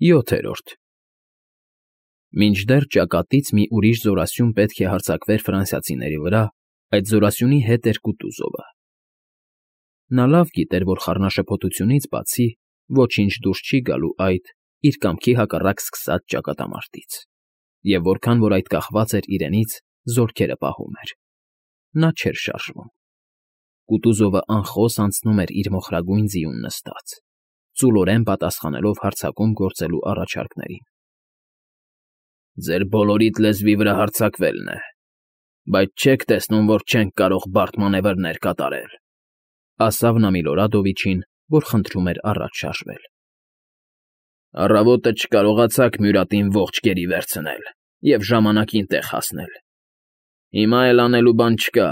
7-րդ Մինչդեռ ճակատից մի ուրիշ զորասյուն պետք է հարձակվեր ֆրանսիացիների վրա, այդ զորասյունի հետ էր Կուտուզովը։ Նա լավ գիտեր, որ խառնաշփոթությունից բացի ոչինչ դուրս չի գալու այդ իր կամքի հակառակ սկսած ճակատամարտից, և որքան որ այդ կախված էր իրենից, զորքերը պահում էր։ Նա չէր շարժվում։ Կուտուզովը անխոս անցնում էր իր մոխրագույն ձիուն նստած, ծուլորեն պատասխանելով հարձակում գործելու առաջարկներին։ «Ձեր բոլորիդ լեզվի վրա հարձակվելն է, բայց չեք տեսնում, որ չենք կարող բարդ մանևրներ կատարել», ասավ նա Միլորադովիչին, որ խնդրում էր առաջ շարժվել։ «Առավոտը չկարողացաք Մյուրատին ողջ գերի վերցնել և ժամանակին տեղ հասնել։ Հիմա էլ անելու բան չկա»,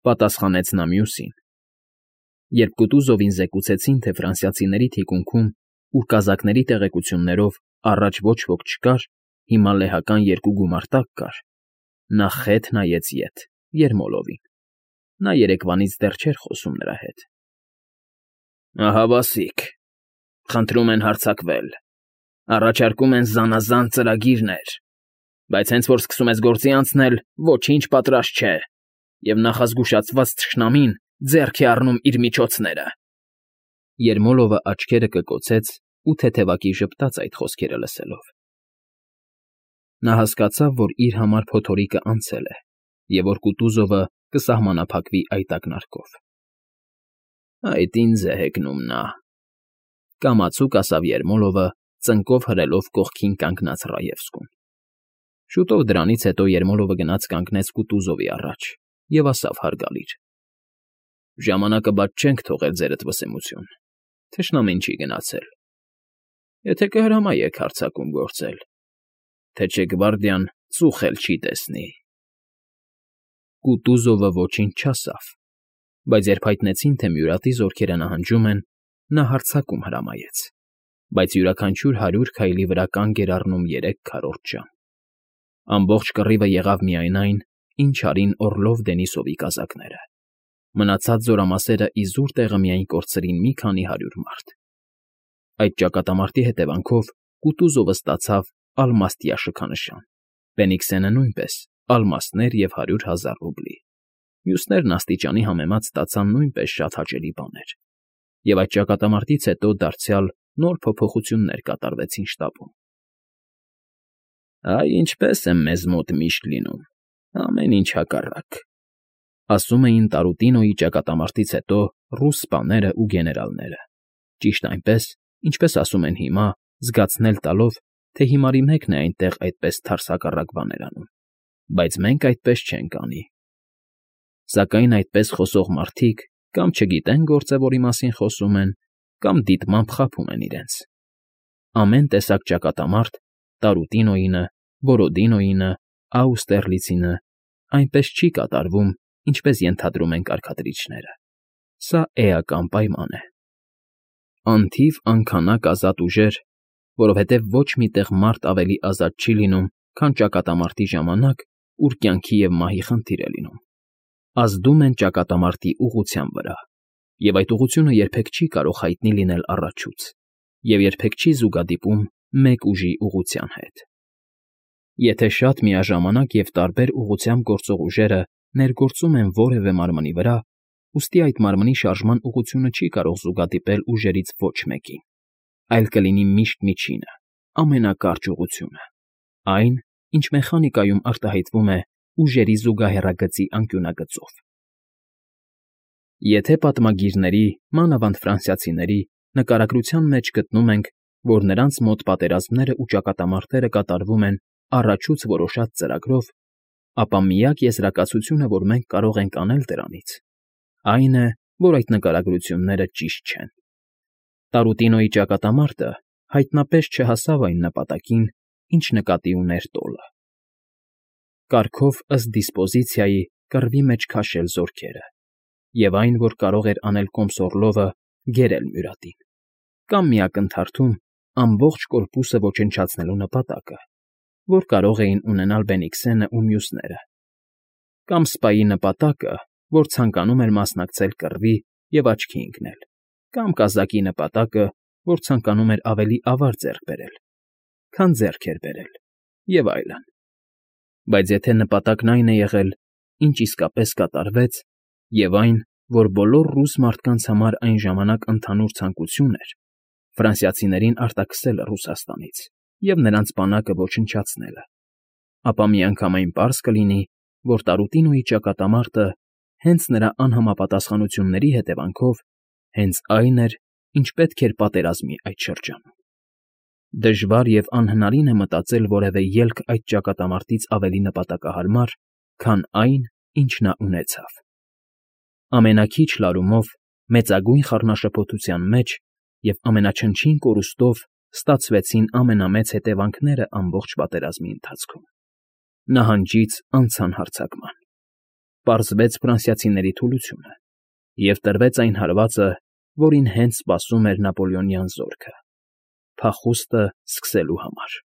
պատասխանեց նա մյուսին։ Երբ Կուտուզովին զեկուցեցին, թե ֆրանսիացիների թիկունքում, ուր կազակների տեղեկություններով առաջ ոչ ոք չկար, հիմա լեհական երկու գումարտակ կար, նա խետ նայեց ետ, Երմոլովին։ Նա երեկվանից դեռ չէր խոսում նրա հետ։ «Ահա բասիկ, խնդրում են հարձակվել, առաջարկում են զանազան ծրագիրներ, բայց հենց որ սկսում ես գործի անցնել, ոչինչ պատրաստ չէ, և նախազգուշացված թշնամին ձեռք է առնում իր միջոցները»։ Երմոլովը աչքերը կկոցեց ու թեթևակի ժպտաց այդ խոսքերը լսելով։ Նա հասկացավ, որ իր համար փոթորիկը անցել է, և որ Կուտուզովը կսահմանափակվի այդ ակնարկով։ «Այդ ինձ է հեգնում նա», կամացուկ ասավ Երմոլովը, ծնկով հրելով կողքին կանգնած Ռաևսկուն։ Շուտով դրանից հետո Երմոլովը գնաց կանգնեց Կուտուզովի առաջ և ասավ հարգալից. «Ժամանակը բաց չենք թողել, ձերդ վսեմություն, թշնամին չի գնացել։ Եթե կհրամայեք հարձակում գործել, թե չէ գվարդիան ծուխ էլ չի տեսնի»։ Կուտուզովը ոչինչ չասավ, բայց երբ հայտնեցին, թե Մյուրատի զորքերը նահանջում են, նա հարձակում հրամայեց, բայց յուրաքանչյուր 100 քայլի վրա կանգ էր առնում 3 քառորդ ժամ։ Ամբողջ կռիվը եղավ միայն այն, ինչ արին Օռլով Դենիսովի կազակները։ Մնացած զորամասերը իզուր տեղը միայն կորցրին մի քանի 100 մարդ։ Այդ ճակատամարտի հետևանքով Կուտուզովը ստացավ ալմաստյա շքանշան, Բենիքսենը նույնպես ալմաստներ և 100,000 ռուբլի։ Մյուսներն աստիճանի համեմատ ստացան նույնպես շատ հաճելի բաներ, և այդ ճակատամարտից հետո դարձյալ նոր փոփոխություններ կատարվեցին շտաբում։ «Այ ինչպես է մեզ մոտ միշտ լինում, ամեն ինչ հակառակ», ասում էին Տարուտինոյի ճակատամարտից հետո ռուս սպաները ու գեներալները, ճիշտ այնպես, ինչպես ասում են հիմա, զգացնել տալով, թե հիմարի մեկն է այնտեղ այդպես թարս հակառակ բաներ անում, բայց մենք այդպես չենք անի։ Սակայն այդպես խոսող մարդիկ կամ չգիտեն գործը, որի մասին խոսում են, կամ դիտմամբ խաբում են իրենց։ Ամեն տեսակ ճակատամարտ, Տարուտինոյինը, Բորոդինոյինը, Աուստերլիցինը, այնպես չի կատարվում, ինչպես ենթադրում են կարգադրիչները։ Սա էական պայման է։ Անթիվ անքանակ ազատ ուժեր, որովհետև ոչ մի տեղ մարդ ավելի ազատ չի լինում, քան ճակատամարտի ժամանակ, ուր կյանքի և մահի խնդիր է լինում, ազդում են ճակատամարտի ուղղության վրա, և այդ ուղղությունը երբեք չի կարող հայտնի լինել առաջուց, և երբեք չի զուգադիպում մեկ ուժի ուղղության հետ։ Եթե շատ միաժամանակ և տարբեր ուղղությամբ գործող ուժերը ներգործում են որևէ մարմնի վրա, ուստի այդ մարմնի շարժման ուղղությունը չի կարող զուգադիպել ուժերից ոչ մեկին, այլ կլինի միշտ միջինը, ամենակարճ ուղղությունը, այն, ինչ մեխանիկայում արտահայտվում է ուժերի զուգահեռագծի անկյունագծով։ Եթե պատմագիրների, մանավանդ ֆրանսիացիների, նկարագրության մեջ գտնում ենք, որ նրանց մոտ պատերազմները ու ճակատամարտերը կատարվում են առաջուց որոշած ծրագրով, ապա միակ եզրակացությունը, որ մենք կարող ենք անել դրանից, այն է, որ այդ նկարագրությունները ճիշտ չեն։ Տարուտինոյի ճակատամարտը հայտնապես չհասավ այն նպատակին, ինչ նկատի ուներ տոլը։ Կարգով ըստ դիսպոզիցիայի կռվի մեջ քաշել զորքերը, և այն, որ կարող էր անել Կոմսոռլովը, գերել Մյուրատին, կամ մի ակնթարթում ամբողջ կորպուսը ոչնչացնելու նպատակը, որ կարող էին ունենալ Բենիքսենն ու մյուսները, կամ սպայի նպատակը, որ ցանկանում էր մասնակցել կռվի և աչքի ընկնել, կամ կազակի նպատակը, որ ցանկանում էր ավելի ավար ձեռք բերել, քան ձեռք էր բերել, և այլն։ Բայց եթե նպատակն այն է եղել, ինչ իսկապես կատարվեց, և այն, որ բոլոր ռուս մարդկանց համար այն ժամանակ ընդհանուր ցանկություն էր, ֆրանսիացիներին արտաքսելը Ռուսաստանից և նրանց բանակը ոչնչացնելը, ապա միանգամայն պարզ կլինի, որ Տարուտինոյի ճակատամարտը հենց նրա անհամապատասխանությունների հետևանքով հենց այն էր, ինչ պետք էր պատերազմի այդ շրջանում։ Դժվար և անհնարին է մտածել որևէ ելք այդ ճակատամարտից ավելի նպատակահարմար, քան այն, ինչ նա ունեցավ։ Ամենաքիչ լարումով, մեծագույն խառնաշփոթության մեջ և ամենաչնչին կորուստով ստացվեցին ամենամեծ հետևանքները ամբողջ պատերազմի ընթացքում։ Նահանջից անցան հարձակման։ Պարզվեց ֆրանսիացիների թուլությունը և տրվեց այն հարվածը, որին հենց սպասում էր նապոլեոնյան զորքը՝ փախուստը սկսելու համար։